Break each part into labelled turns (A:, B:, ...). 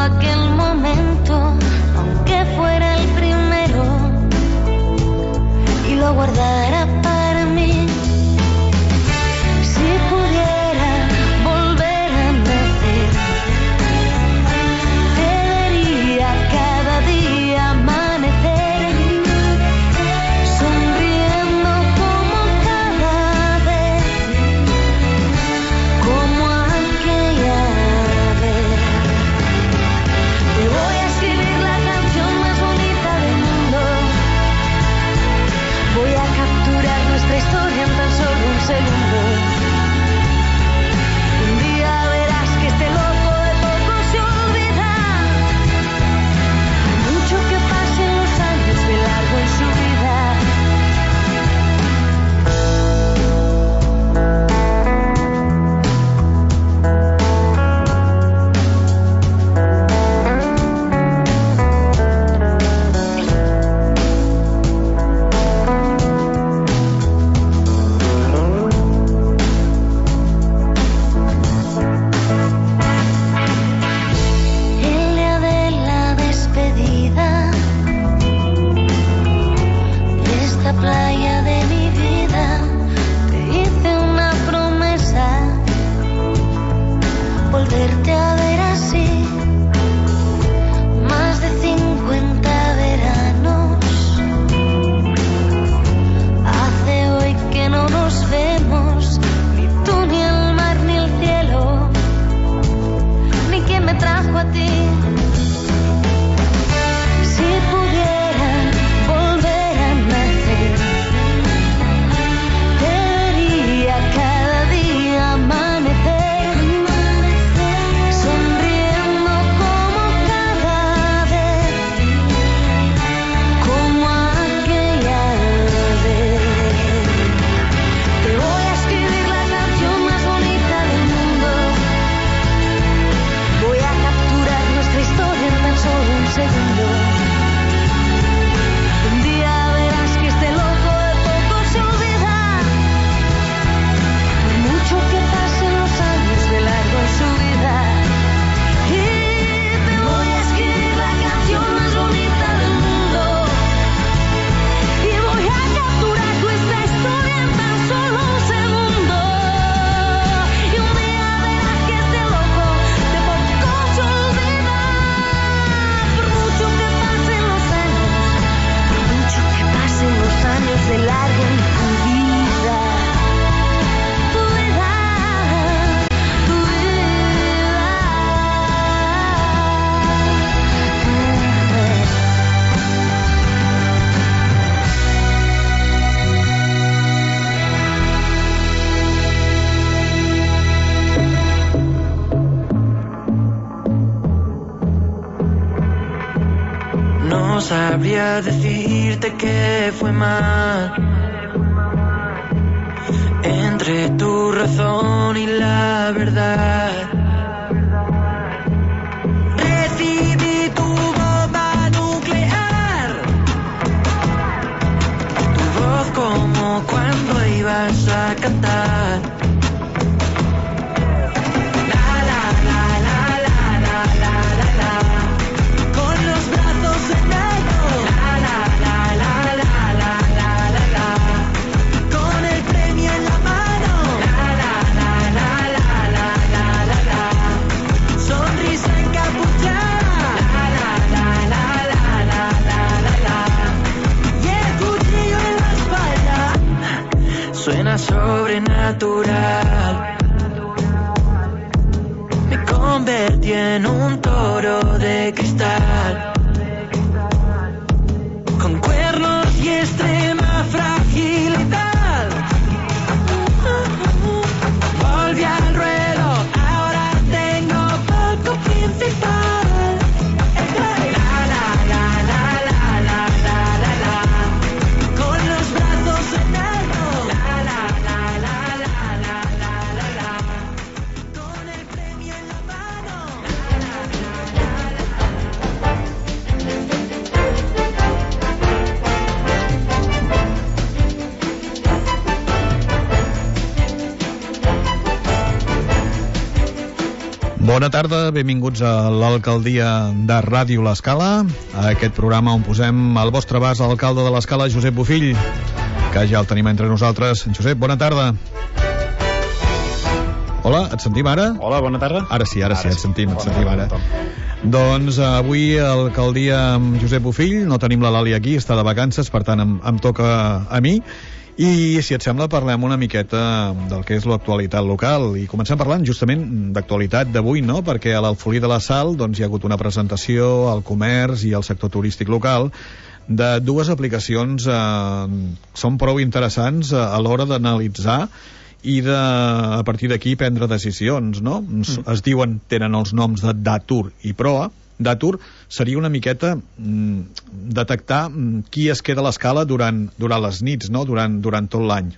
A: aquel momento, aunque fuera el primero, y lo guardara para mí. Si pudiera volver a nacer, te vería cada día amanecer, sonriendo como cada vez, como aquella vez. Te voy a escribir la canción más bonita del mundo. Voy a capturar nuestra historia en tan solo un segundo. Un día verás que este loco de poco se olvida. Mucho que pasen los años de largo en su vida. El día de la despedida de esta playa de mi vida, te hice una promesa, volverte a ver así. Más de 50 veranos hace hoy que no nos vemos, ni tú, ni el mar, ni el cielo, ni quien me trajo a ti. Si pudiera volver a nacer, te vería cada día amanecer, sonriendo como cada vez, como aquella vez. Te voy a escribir la canción más bonita del mundo. Voy a capturar nuestra historia en tan solo un segundo. Un día verás que este loco de poco se olvida. Por mucho que pasen los años de largo en su vida. Y te voy a escribir la canción más bonita del mundo. Y voy a capturar nuestra historia en tan solo un segundo. Y un día verás que este loco de poco se olvida. Por mucho que pasen los años, por mucho que pasen los años de largo en tu vida. Tu vida, tu vida.
B: No sabría decirte que fue mal entre tu razón y la verdad. Recibí tu bomba nuclear, tu voz como cuando ibas a cantar. La la la la la la la la la, con los brazos en alto. La la la la la la la la la, con el premio en la mano. La la la la la la la la la, sonrisa encapuchada. La la la la la la la la la, y el cuchillo en la espalda. Suena sobrenatural. Me convertí en un toro de cristal, con cuernos y extrema fragilidad. Volví al ruedo, ahora tengo poco principal. La la la la la la la la la, con los brazos en alto. La la la la la la la la la, con el premio en la mano. La la la la la.
C: Bona tarda, benvinguts a l'Alcaldia de Ràdio L'Escala, a aquest programa on posem al vostre abast l'alcalde de l'Escala, Josep Bofill, que ja el tenim entre nosaltres. Josep, bona tarda. Hola, et sentim ara?
D: Hola, bona tarda.
C: Ara sí, et sentim ara. Doncs avui a l'alcaldia amb Josep Bofill, no tenim la Lali aquí, està de vacances, per tant em toca a mi. I si et sembla parlem una miqueta del que és l'actualitat local i comencem parlant justament d'actualitat d'avui, no? Perquè a l'Alfolí de la Sal doncs, hi ha hagut una presentació al comerç i al sector turístic local de dues aplicacions són prou interessants a l'hora d'analitzar i a partir d'aquí prendre decisions, no? Es diuen, tenen els noms de Datur i Proa. Datur seria una miqueta detectar qui es queda a l'escala durant les nits, no? Durant tot l'any.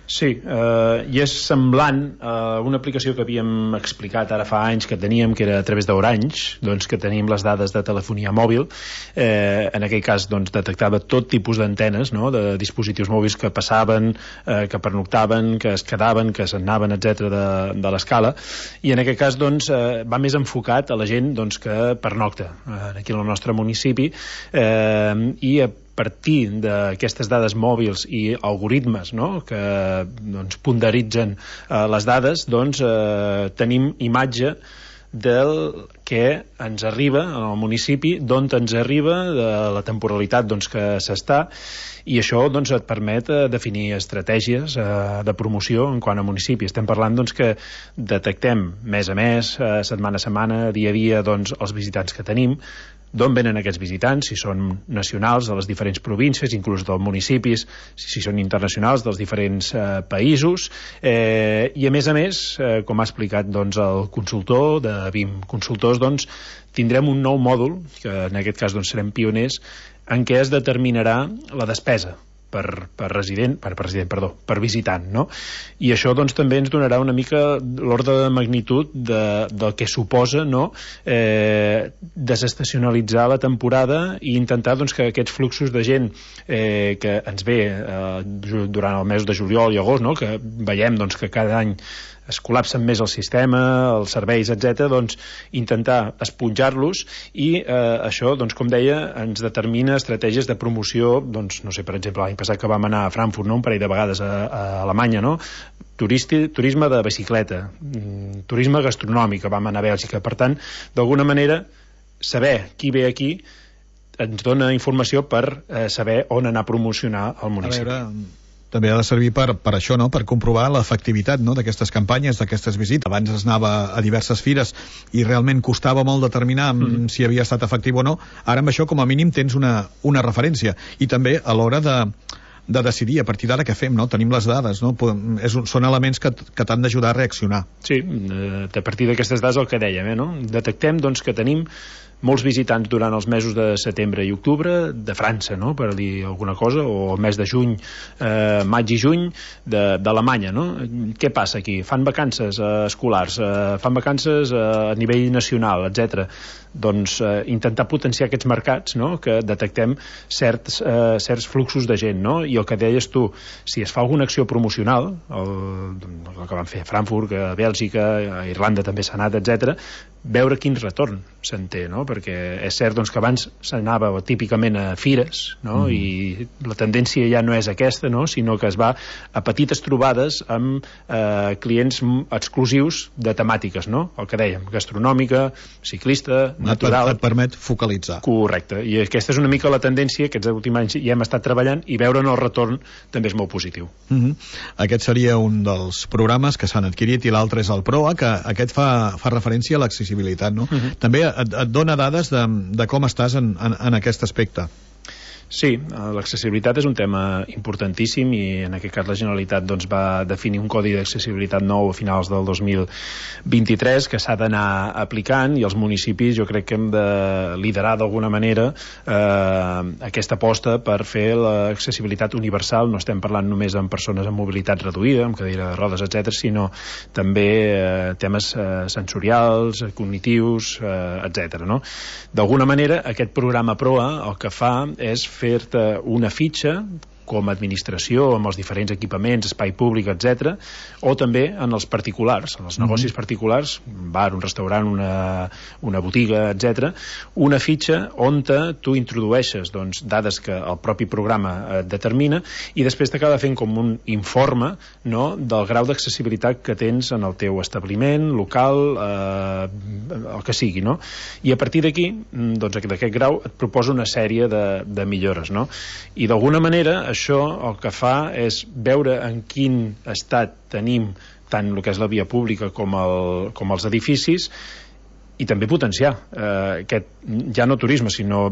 D: Sí, i és semblant a una aplicació que havíem explicat ara fa anys que teníem, que era a través d'Orange, doncs que tenim les dades de telefonia mòbil. En aquell cas doncs, detectava tot tipus d'antenes, no? De dispositius mòbils que passaven, que pernoctaven, que es quedaven, que s'anaven, etc. de l'escala, i en aquest cas doncs, va més enfocat a la gent doncs, que pernocta aquí al nostre municipi, i a partir d'aquestes dades mòbils i algoritmes, no? Que doncs, ponderitzen les dades, doncs, tenim imatge del que ens arriba al municipi, d'on ens arriba, de la temporalitat doncs, que s'està, i això doncs, et permet definir estratègies de promoció en quant a municipi. Estem parlant doncs, que detectem mes a mes, setmana a setmana, dia a dia, doncs, els visitants que tenim, d'on venen aquests visitants, si són nacionals de les diferents províncies, inclús dels municipis, si són internacionals dels diferents països, i a més, com ha explicat doncs, el consultor de BIM Consultors, doncs, tindrem un nou mòdul, que en aquest cas doncs, serem pioners, en què es determinarà la despesa per visitant, no? I això doncs, també ens donarà una mica l'ordre de magnitud del que suposa, no? Desestacionalitzar la temporada i intentar doncs, que aquests fluxos de gent que ens ve durant el mes de juliol i agost, no? Que veiem doncs, que cada any es col·lapsen més el sistema, els serveis, etc., doncs intentar esponjar-los i això, doncs, com deia, ens determina estratègies de promoció, doncs, no sé, per exemple, l'any passat que vam anar a Frankfurt, no? Un parell de vegades a Alemanya, no? Turisme de bicicleta, turisme gastronòmic, vam anar a Bèlgica. Per tant, d'alguna manera, saber qui ve aquí ens dona informació per saber on anar a promocionar el municipi.
C: A veure, també ha de servir per això, no? Per comprovar l'efectivitat, no? D'aquestes campanyes, d'aquestes visites. Abans es anava a diverses fires i realment costava molt determinar si havia estat efectiu o no. Ara amb això com a mínim tens una referència i també a l'hora de decidir a partir d'ara què fem, no? Tenim les dades, no? Són elements que t'han d'ajudar a reaccionar.
D: Sí, a partir d'aquestes dades el que dèiem, no? Detectem doncs, que tenim molts visitants durant els mesos de setembre i octubre de França, no? Per dir alguna cosa, o el mes de juny, maig i juny d'Alemanya, no? Què passa aquí? Fan vacances escolars, fan vacances a nivell nacional, etc. Doncs intentar potenciar aquests mercats, no? Que detectem certs fluxos de gent, no? I el que deies tu, si es fa alguna acció promocional, el que van fer a Frankfurt, a Bèlgica, a Irlanda també s'ha anat, etc., veure quin retorn se'n té, no? Perquè és cert doncs, que abans s'anava típicament a fires, no? I la tendència ja no és aquesta, no? Sinó que es va a petites trobades amb clients exclusius de temàtiques, no? El que dèiem, gastronòmica, ciclista, natural.
C: Et permet focalitzar.
D: Correcte, i aquesta és una mica la tendència que aquests últims anys ja hem estat treballant i veure'n el retorn també és molt positiu.
C: Aquest seria un dels programes que s'han adquirit i l'altre és el PROA, que aquest fa referència a l'accessibilitat, no? També et dona dades de com estàs en aquest aspecte.
D: Sí, l'accessibilitat és un tema importantíssim i en aquest cas la Generalitat doncs, va definir un codi d'accessibilitat nou a finals del 2023 que s'ha d'anar aplicant i els municipis jo crec que hem de liderar d'alguna manera aquesta aposta per fer l'accessibilitat universal. No estem parlant només amb persones amb mobilitat reduïda, amb cadira de rodes, etc., sinó també temes sensorials, cognitius, etc. No? D'alguna manera aquest programa PROA el que fa és fer-te una fitxa com a administració, amb els diferents equipaments, espai públic, etc., o també en els particulars, en els negocis particulars, un bar, un restaurant, una botiga, etc., una fitxa on tu introdueixes doncs, dades que el propi programa determina i després t'acaba fent com un informe, no?, del grau d'accessibilitat que tens en el teu establiment, local, el que sigui, no? I a partir d'aquí, doncs, d'aquest grau et proposa una sèrie de millores, no? I d'alguna manera això el que fa és veure en quin estat tenim tant el que és la via pública com els edificis i també potenciar aquest, ja no turisme, sinó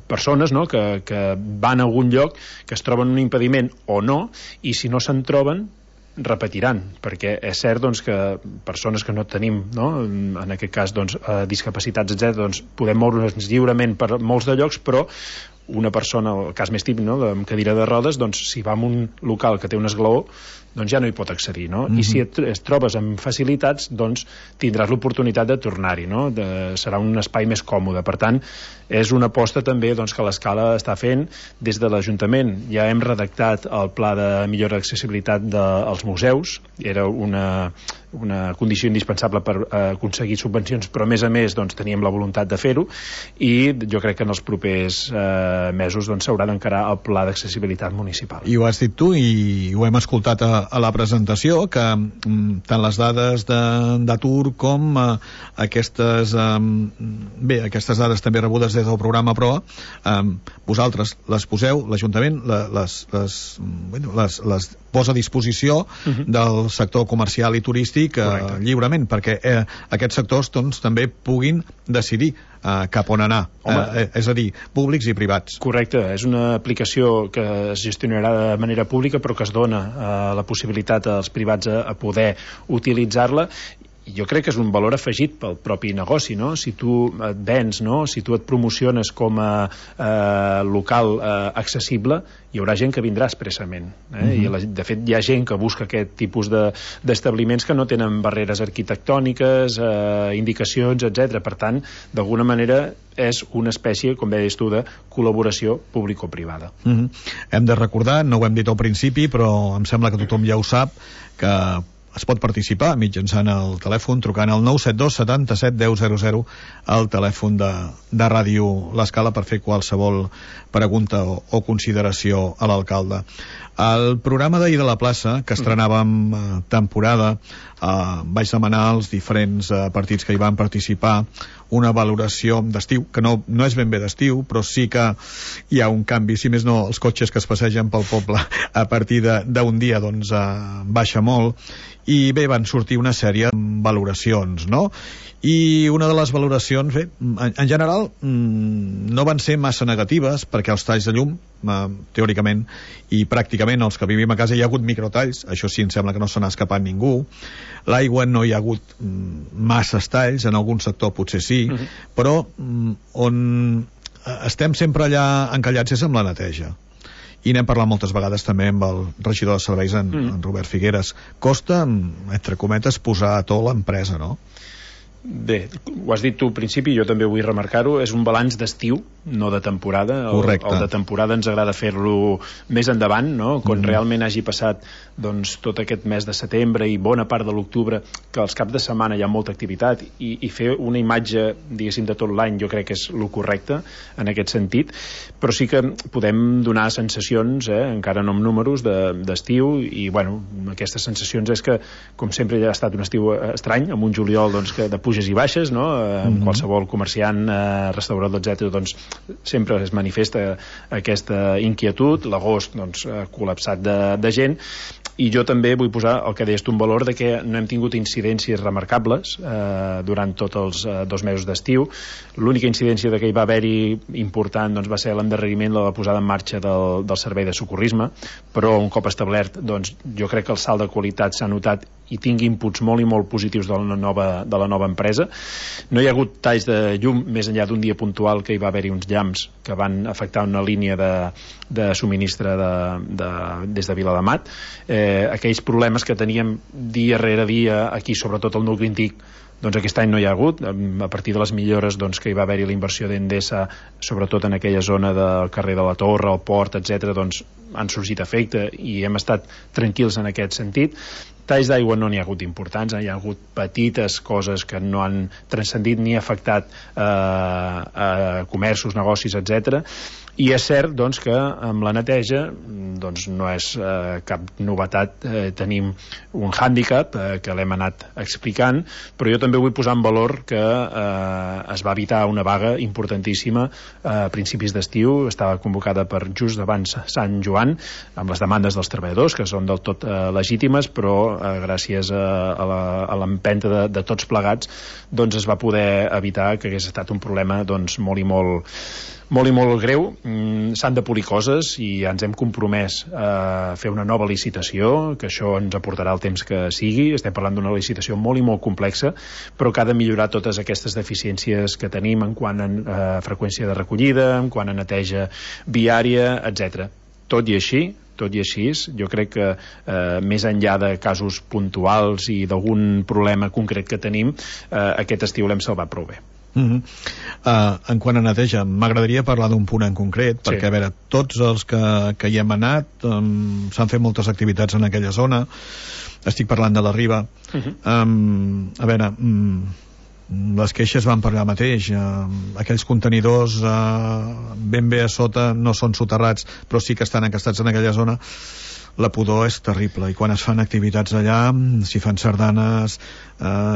D: persones, no?, que van a algun lloc, que es troben un impediment o no, i si no se'n troben repetiran, perquè és cert doncs, que persones que no tenim, no?, en aquest cas doncs, discapacitats, etc., doncs, podem moure'ns lliurement per molts de llocs, però una persona, el cas més típic, no?, amb cadira de rodes, doncs, si va a un local que té un esglaó, doncs ja no hi pot accedir, no? I si et trobes amb facilitats, doncs tindràs l'oportunitat de tornar-hi, no? Serà un espai més còmode. Per tant, és una aposta també doncs, que l'Escala està fent des de l'Ajuntament. Ja hem redactat el pla de millora d'accessibilitat dels museus, era una condició indispensable per aconseguir subvencions, però a més doncs, teníem la voluntat de fer-ho i jo crec que en els propers mesos doncs, s'haurà d'encarar el pla d'accessibilitat municipal.
C: I ho has dit tu i ho hem escoltat a la presentació, que tant les dades d'atur com aquestes dades també rebudes des del programa PROA, vosaltres les poseu, l'Ajuntament les posa a disposició del sector comercial i turístic lliurement, perquè aquests sectors doncs, també puguin decidir cap on anar, és a dir, públics i privats.
D: Correcte, és una aplicació que es gestionarà de manera pública però que es dona la possibilitat als privats a poder utilitzar-la. Jo crec que és un valor afegit pel propi negoci, no? Si tu et vens, no? Si tu et promociones com a local accessible, hi haurà gent que vindrà expressament, i de fet hi ha gent que busca aquest tipus d'establiments que no tenen barreres arquitectòniques, indicacions, etc. Per tant, d'alguna manera és una espècie, com deies tu, de col·laboració público-privada.
C: Hem de recordar, no ho hem dit al principi, però em sembla que tothom ja ho sap, que es pot participar mitjançant el telèfon trucant al 972 77 10 00 al telèfon de Ràdio L'Escala per fer qualsevol pregunta o consideració a l'alcalde. El programa d'ahir de la plaça, que estrenàvem temporada, vaig demanar als diferents partits que hi van participar una valoració d'estiu, que no és ben bé d'estiu, però sí que hi ha un canvi, si més no, els cotxes que es passegen pel poble a partir d'un dia doncs baixa molt, i bé, van sortir una sèrie de valoracions, no? I una de les valoracions, bé, en general no van ser massa negatives, perquè els talls de llum, teòricament i pràcticament els que vivim a casa hi ha hagut microtalls, això sí, em sembla que no se n'ha escapat ningú. L'aigua no hi ha hagut masses talls, en algun sector potser sí, però on estem sempre allà encallats és amb la neteja. I n'hem parlat moltes vegades també amb el regidor de serveis, en Robert Figueres. Costa, entre cometes, posar a to l'empresa, no?
D: Bé, ho has dit tu al principi, jo també vull remarcar-ho, és un balanç d'estiu, no de temporada.
C: Correcte.
D: El de temporada ens agrada fer-lo més endavant, no? Quan realment hagi passat doncs, tot aquest mes de setembre i bona part de l'octubre, que als caps de setmana hi ha molta activitat, i fer una imatge, diguéssim, de tot l'any jo crec que és el correcte en aquest sentit, però sí que podem donar sensacions, encara no amb números, d'estiu, i bueno, aquestes sensacions és que, com sempre, ja ha estat un estiu estrany, amb un juliol doncs, que de puges i baixes, no? Qualsevol comerciant, restaurador, etc., doncs sempre es manifesta aquesta inquietud. L'agost doncs, col·lapsat de gent, i jo també vull posar el que deies tu en valor de que no hem tingut incidències remarcables durant tots els 2 mesos d'estiu. L'única incidència que hi va haver-hi important doncs, va ser l'endarreriment de la posada en marxa del servei de socorrisme, però un cop establert doncs, jo crec que el salt de qualitat s'ha notat i tingui inputs molt i molt positius de la nova empresa. No hi ha hagut talls de llum més enllà d'un dia puntual que hi va haver-hi uns llamps que van afectar una línia de subministre des de Viladamat. Aquells problemes que teníem dia rere dia aquí, sobretot al nucli antic, Doncs aquest any no hi ha hagut, a partir de les millores doncs, que hi va haver-hi la inversió d'Endesa, sobretot en aquella zona del carrer de la Torre, el port, etc., doncs han sorgit efecte i hem estat tranquils en aquest sentit. Talls d'aigua no n'hi ha hagut importants, hi ha hagut petites coses que no han transcendit ni afectat comerços, negocis, etc. I és cert doncs, que amb la neteja doncs, no és cap novetat, tenim un hàndicap que l'hem anat explicant, però jo també vull posar en valor que es va evitar una vaga importantíssima a principis d'estiu, estava convocada per just abans Sant Joan, amb les demandes dels treballadors, que són del tot legítimes, però gràcies a l'empenta de tots plegats doncs es va poder evitar que hagués estat un problema doncs, molt i molt greu. S'han de polir coses i ens hem compromès a fer una nova licitació, que això ens aportarà el temps que sigui. Estem parlant d'una licitació molt i molt complexa, però que ha de millorar totes aquestes deficiències que tenim en quant a freqüència de recollida, en quant a neteja viària, etc. Tot i així, jo crec que més enllà de casos puntuals i d'algun problema concret que tenim, aquest estiu l'hem salvat prou bé.
C: En quant a neteja, m'agradaria parlar d'un punt en concret, perquè a veure, tots els que hi hem anat s'han fet moltes activitats en aquella zona. Estic parlant de la Riba. A veure, les queixes van per allà mateix, aquells contenidors ben bé a sota no són soterrats, però sí que estan encastats en aquella zona. La pudor és terrible, i quan es fan activitats allà, si fan sardanes,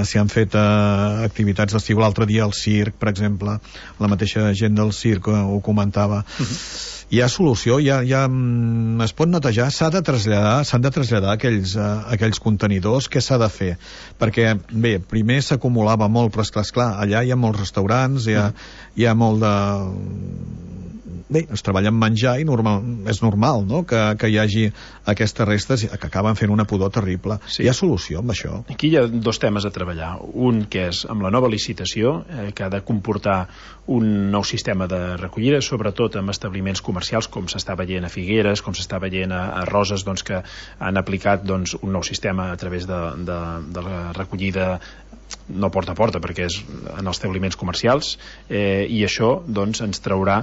C: si han fet activitats d'estiu, l'altre dia al circ, per exemple, la mateixa gent del circ ho comentava. Hi ha solució, es pot netejar, s'han de traslladar aquells contenidors. Què s'ha de fer? Perquè, bé, primer s'acumulava molt, però esclar, allà hi ha molts restaurants, hi ha molt de... Bé, es treballa amb menjar i és normal, no?, que hi hagi aquestes restes que acaben fent una pudor terrible. Sí. Hi ha solució amb això?
D: Aquí hi ha dos temes a treballar. Un que és amb la nova licitació, que ha de comportar un nou sistema de recollida, sobretot amb establiments comercials, com s'està veient a Figueres, com s'està veient a Roses, doncs, que han aplicat doncs, un nou sistema a través de la recollida no porta a porta, perquè és en els establiments comercials, i això doncs, ens traurà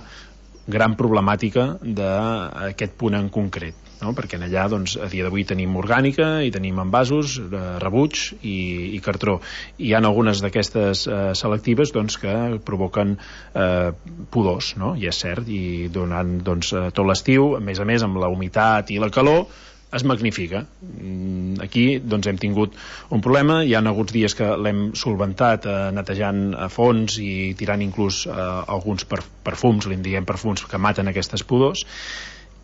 D: gran problemàtica d'aquest punt en concret, no? Perquè en allà doncs, a dia d'avui tenim orgànica i tenim envasos, rebuig i cartró. Hi ha algunes d'aquestes selectives doncs, que provoquen pudors, no? I és cert, i durant doncs, tot l'estiu, a més amb la humitat i la calor, es magnifica. Aquí doncs, hem tingut un problema, hi ha hagut dies que l'hem solventat netejant a fons i tirant inclús alguns perfums, li diem perfums, que maten aquestes pudors.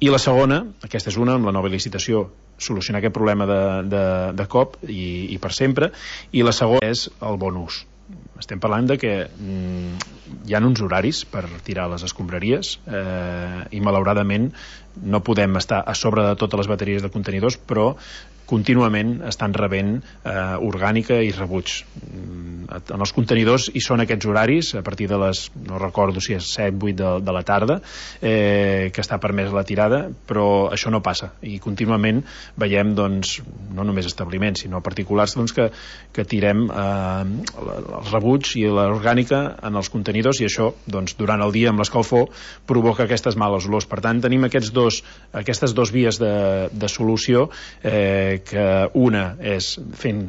D: I la segona, aquesta és una, amb la nova licitació, solucionar aquest problema de cop i per sempre, i la segona és el bon ús. Estem parlant de que hi ha uns horaris per tirar les escombraries i malauradament no podem estar a sobre de totes les bateries de contenidors, però contínuament estan rebent orgànica i rebuig. En els contenidors hi són aquests horaris a partir de les, no recordo si és 7-8 de la tarda, que està permès la tirada, però això no passa, i contínuament veiem doncs, no només establiments sinó particulars doncs, que tirem el rebuig i l'orgànica en els contenidors, i això doncs, durant el dia amb l'escalfor provoca aquestes males olors. Per tant, tenim aquestes dos vies de solució, que una és fent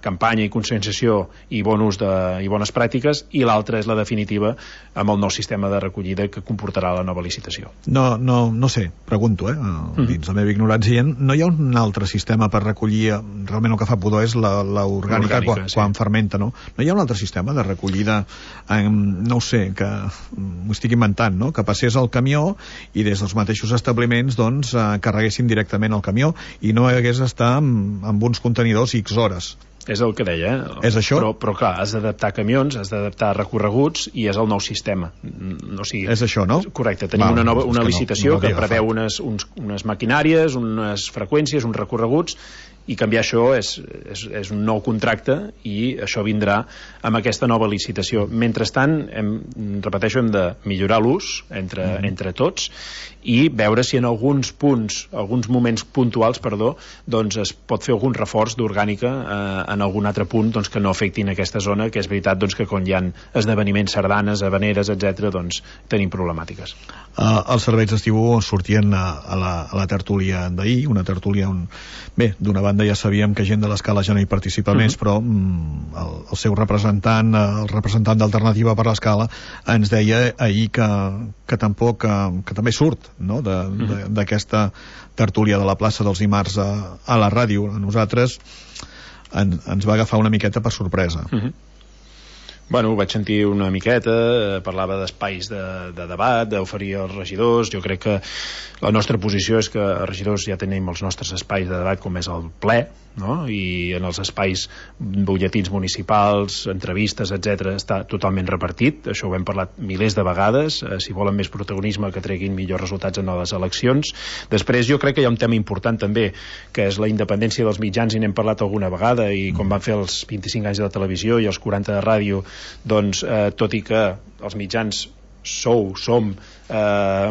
D: campanya i conscienciació i bon ús i bones pràctiques, i l'altra és la definitiva amb el nou sistema de recollida que comportarà la nova licitació.
C: No sé, pregunto, dins la meva ignorància, no hi ha un altre sistema per recollir, realment el que fa pudor és l'orgànica quan fermenta, no? No hi ha un altre sistema de recollida, no ho sé, que m'ho estic inventant, no? Que passés al camió i des dels mateixos establiments doncs carreguessin directament el camió i no hagués d'estar amb uns contenidors X hores.
D: És el que deia,
C: És això?
D: Però clar, has d'adaptar camions, has d'adaptar recorreguts, i és el nou sistema.
C: És això, no?
D: Correcte, tenim una licitació que preveu unes maquinàries, unes freqüències, uns recorreguts, i canviar això és un nou contracte i això vindrà amb aquesta nova licitació. Mentrestant, repeteixo, hem de millorar l'ús entre tots i veure si en alguns moments puntuals, doncs es pot fer algun reforç d'orgànica en algun altre punt doncs, que no afectin aquesta zona, que és veritat doncs, que quan hi ha esdeveniments, sardanes, habaneres, etc., doncs tenim problemàtiques.
C: Els serveis d'estiu sortien a la tertúlia d'ahir, una tertúlia on, bé, d'una banda ja sabíem que gent de l'Escala ja no hi participa més, però el seu representant, el representant d'Alternativa per l'Escala, ens deia ahir que tampoc, que també surt, no?, d'aquesta tertúlia de la plaça dels dimarts a la ràdio. A nosaltres ens va agafar una miqueta per sorpresa.
D: Bueno, ho vaig sentir una miqueta, parlava d'espais de debat, d'oferir als regidors. Jo crec que la nostra posició és que els regidors ja tenim els nostres espais de debat, com és el ple, no? I en els espais butlletins municipals, entrevistes, etc., està totalment repartit. Això ho hem parlat milers de vegades. Si volen més protagonisme, que treguin millors resultats en les eleccions. Després jo crec que hi ha un tema important també, que és la independència dels mitjans, i n'hem parlat alguna vegada, i quan van fer els 25 anys de televisió i els 40 de ràdio, doncs tot i que els mitjans som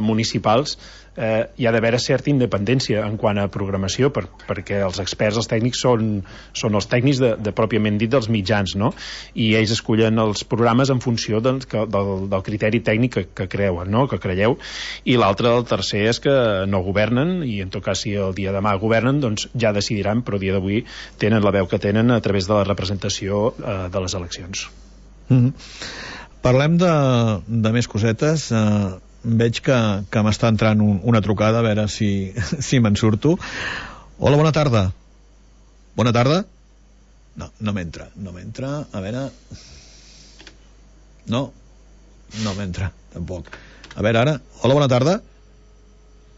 D: municipals, hi ha d'haver certa independència en quant a programació, perquè els experts, els tècnics són els tècnics de pròpiament dit dels mitjans, no? I ells escollen els programes en funció del criteri tècnic que creuen, no?, que creieu. I l'altre, el tercer, és que no governen, i en tot cas si el dia de demà governen, doncs ja decidiran, però el dia d'avui tenen la veu que tenen a través de la representació de les eleccions.
C: Parlem de més cosetes. Veig que m'està entrant una trucada, a veure si me'n surto. Hola, bona tarda. Bona tarda? No m'entra. A veure... No m'entra, tampoc. A veure, ara... Hola, bona tarda?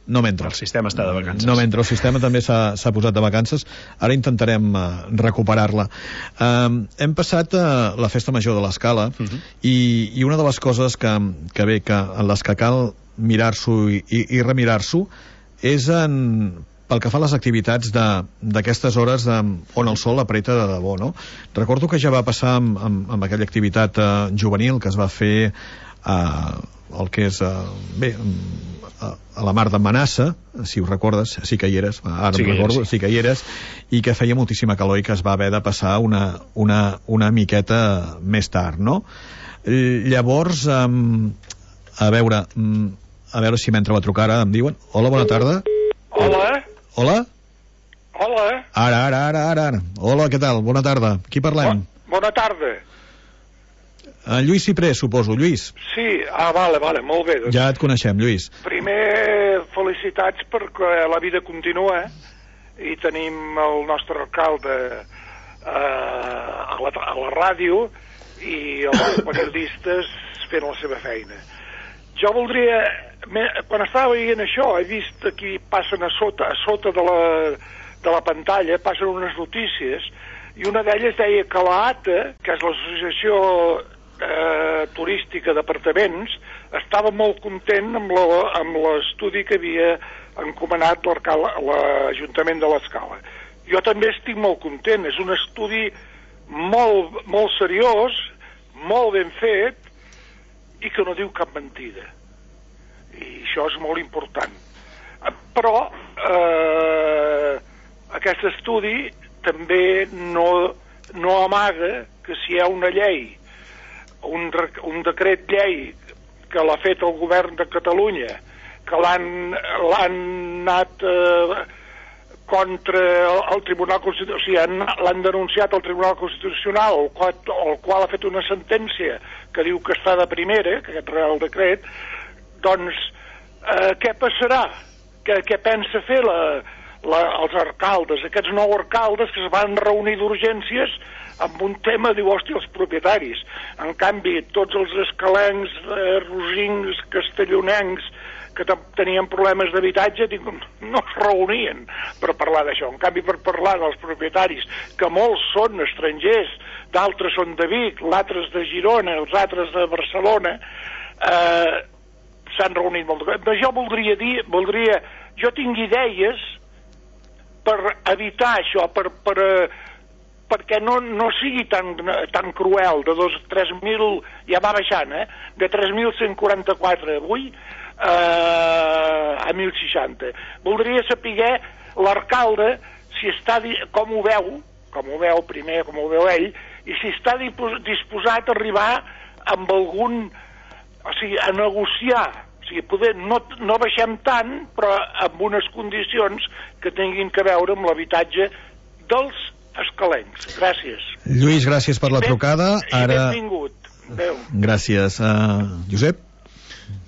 C: No m'entra.
D: El sistema està de vacances.
C: No m'entra, el sistema també s'ha posat de vacances. Ara intentarem recuperar-la. Hem passat la festa major de l'Escala, i una de les coses que en les que cal mirar-s'ho i remirar-s'ho és pel que fa a les activitats d'aquestes hores on el sol apreta de debò, no? Recordo que ja va passar amb aquella activitat juvenil que es va fer el que és a la mar de Manassa, si ho recordes, sí que hi eres, ara sí, recordo, sí que hi eres, i que feia moltíssima calor i que es va haver de passar una miqueta més tard, no? Llavors, a veure si m'entra la trucada, em diuen. Hola, bona tarda. Hola? Ara. Hola, què tal? Bona tarda. Qui parlem?
E: Bona tarda.
C: Lluís Cipré, suposo. Lluís?
E: Sí, vale, molt bé. Doncs
C: ja et coneixem, Lluís.
E: Primer, felicitats perquè la vida continua i tenim el nostre alcalde a la ràdio i els periodistes fent la seva feina. Jo voldria... Quan estava veient això, he vist aquí passen a sota de la pantalla, passen unes notícies, i una d'elles deia que l'ATA, que és l'associació turística d'apartaments, estava molt content amb l'estudi que havia encomanat l'Ajuntament de l'Escala. Jo també estic molt content, és un estudi molt seriós, molt ben fet, i que no diu cap mentida. I això és molt important. Però aquest estudi també no amaga que si hi ha una llei, un decret llei que l'ha fet el govern de Catalunya, que l'han anat contra el Tribunal Constitucional, o sigui, l'han denunciat al Tribunal Constitucional, el qual ha fet una sentència que diu que està de primera, que aquest Real Decret, doncs què passarà? Què pensa fer els alcaldes, aquests 9 alcaldes que es van reunir d'urgències amb un tema, diu, hòstia, els propietaris. En canvi, tots els escalencs, rosincs, castellonencs, que tenien problemes d'habitatge, no es reunien per parlar d'això. En canvi, per parlar dels propietaris, que molts són estrangers, d'altres són de Vic, l'altres de Girona, els altres de Barcelona, s'han reunit molt. Jo voldria dir, jo tinc idees per evitar això, perquè no sigui tan cruel, de 3.000, ja va baixant, de 3.144 avui a 1.060. Voldria saber l'alcalde si està, com ho veu primer, com ho veu ell, i si està disposat a arribar amb algun, o sigui, a negociar, o sigui, poder, no baixem tant, però amb unes condicions que tinguin que veure amb l'habitatge dels escalencs. Gràcies.
C: Lluís, gràcies per la trucada.
E: Ara... Benvingut. Adéu.
C: Gràcies. Josep?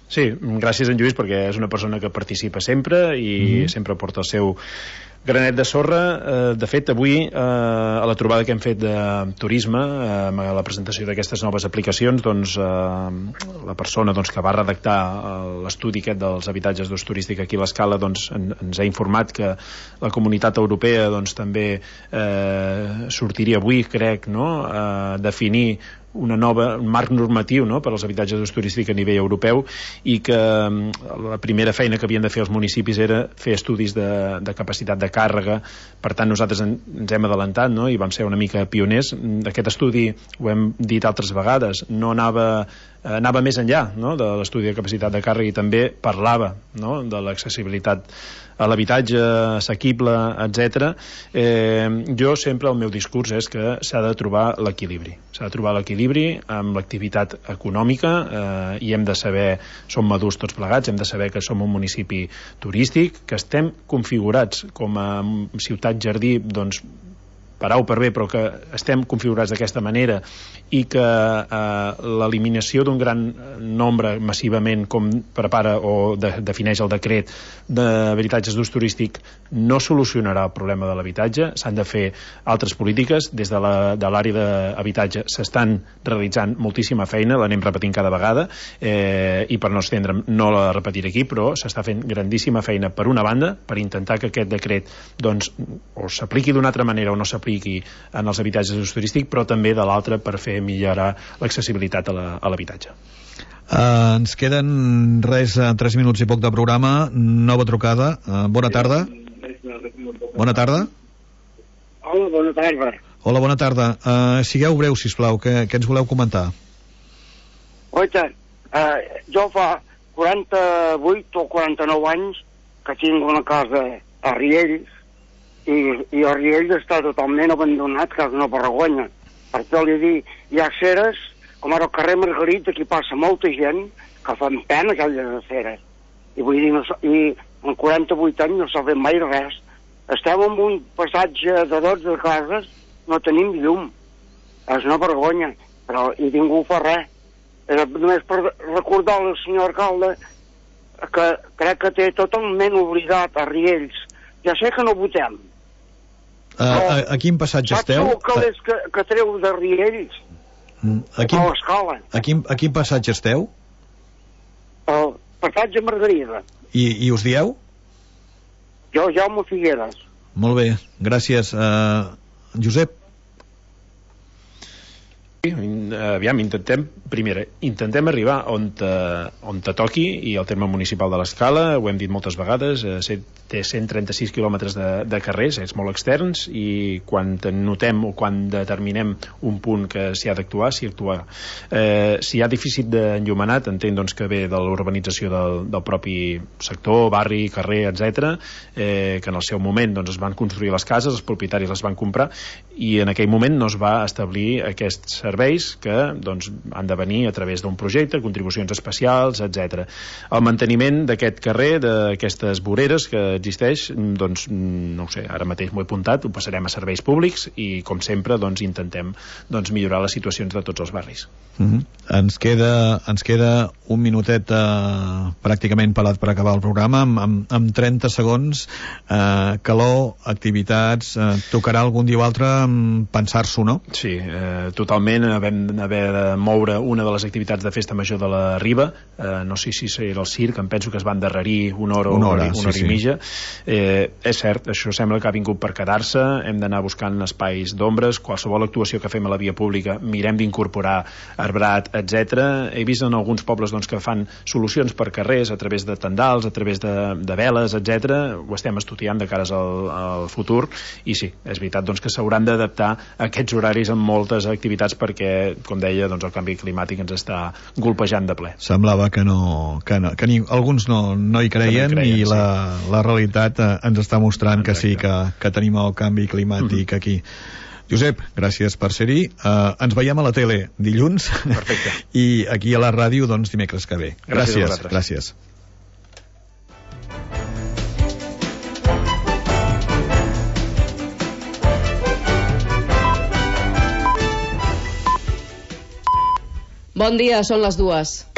D: Sí, gràcies en Lluís, perquè és una persona que participa sempre i sempre porta el seu granet de sorra. De fet, avui, a la trobada que hem fet de turisme, a la presentació d'aquestes noves aplicacions, doncs, la persona que va redactar l'estudi aquest dels habitatges d'ús turístic aquí a l'Escala, doncs, ens ha informat que la Comunitat Europea doncs, també sortiria avui, crec, no?, a definir un marc normatiu, no?, per als habitatges d'ús turístic a nivell europeu, i que la primera feina que havien de fer els municipis era fer estudis de capacitat de càrrega. Per tant, nosaltres ens hem adelantat, no?, i vam ser una mica pioners. Aquest estudi, ho hem dit altres vegades, no anava més enllà, no?, de l'estudi de capacitat de càrrega, i també parlava, no?, de l'accessibilitat a l'habitatge assequible, etc. Jo sempre, el meu discurs és que s'ha de trobar l'equilibri. S'ha de trobar l'equilibri amb l'activitat econòmica, i hem de saber, som madurs tots plegats, hem de saber que som un municipi turístic, que estem configurats com a ciutat jardí, doncs, per A o per B, però que estem configurats d'aquesta manera, i que l'eliminació d'un gran nombre massivament, com prepara o defineix el decret d'habitatges d'ús turístic, no solucionarà el problema de l'habitatge. S'han de fer altres polítiques. Des de l'àrea d'habitatge s'estan realitzant moltíssima feina, l'anem repetint cada vegada, i per no estendre'm no la repetiré aquí, però s'està fent grandíssima feina, per una banda, per intentar que aquest decret doncs, o s'apliqui d'una altra manera o no s'apliqui en els habitatges d'ús turístic, però també de l'altra per fer millorar l'accessibilitat a l'habitatge.
C: Ens queden 3 minuts i poc de programa. Nova trucada. Bona tarda. Bona tarda.
F: Hola, bona tarda.
C: Hola, bona tarda. Sigueu breu, sisplau, què ens voleu comentar?
F: Oita, jo fa 48 o 49 anys que tinc una casa a Riells, i el Riells està totalment abandonat, que és una vergonya. Per què li dic, hi ha aceres, com ara al carrer Margarita, aquí passa molta gent que fan pena aquelles aceres. I vull dir, i en 48 anys no s'ha fet mai res. Estem en un passatge de 12 cases, no tenim llum. És una vergonya, però i ningú fa res. Només per recordar al senyor alcalde que crec que té totalment oblidat a Riells. Ja sé que no votem.
C: A quin passatge esteu?
F: Saps el que treu de Riells? A l'Escala.
C: A quin passatge esteu?
F: El passatge Margarida.
C: I us dieu?
F: Jo, Jaume Figueres.
C: Molt bé, gràcies. Josep?
D: Aviam, intentem arribar on te toqui, i el terme municipal de l'Escala, ho hem dit moltes vegades, té 136 quilòmetres de carrers, és molt externs, i quan notem o quan determinem un punt que s'hi ha d'actuar, s'hi actuarà. Si hi ha dèficit d'enllumenat, entenc doncs, que ve de l'urbanització del propi sector, barri, carrer, etc., que en el seu moment doncs, es van construir les cases, els propietaris les van comprar, i en aquell moment no es va establir aquests serveis que doncs, han de venir a través d'un projecte, contribucions especials, etc. El manteniment d'aquest carrer, d'aquestes voreres que existeix, doncs, no ho sé, ara mateix m'ho he apuntat, ho passarem a serveis públics, i com sempre doncs, intentem doncs, millorar les situacions de tots els barris.
C: Ens queda un minutet pràcticament pelat per acabar el programa, amb 30 segons. Calor, activitats, tocarà algun dia o altre pensar-s'ho, no?
D: Sí, totalment. Vam haver de moure una de les activitats de festa major de la Riba, no sé si era el circ, em penso que es va endarrerir una hora i mitja. És cert, això sembla que ha vingut per quedar-se, hem d'anar buscant espais d'ombres, qualsevol actuació que fem a la via pública mirem d'incorporar arbrat, etc. He vist en alguns pobles doncs, que fan solucions per carrers a través de tendals, a través de veles, etc. Ho estem estudiant de cares al futur, i sí, és veritat doncs, que s'hauran d'adaptar a aquests horaris en moltes activitats perquè, com deia, doncs, el canvi climàtic ens està golpejant de ple.
C: Semblava que alguns no hi creien, i la realitat ens està mostrant que sí, que tenim el canvi climàtic aquí. Josep, gràcies per ser-hi. Ens veiem a la tele dilluns.
D: Perfecte.
C: I aquí a la ràdio, doncs, dimecres que ve. Gràcies.
G: Bon dia, són les 2.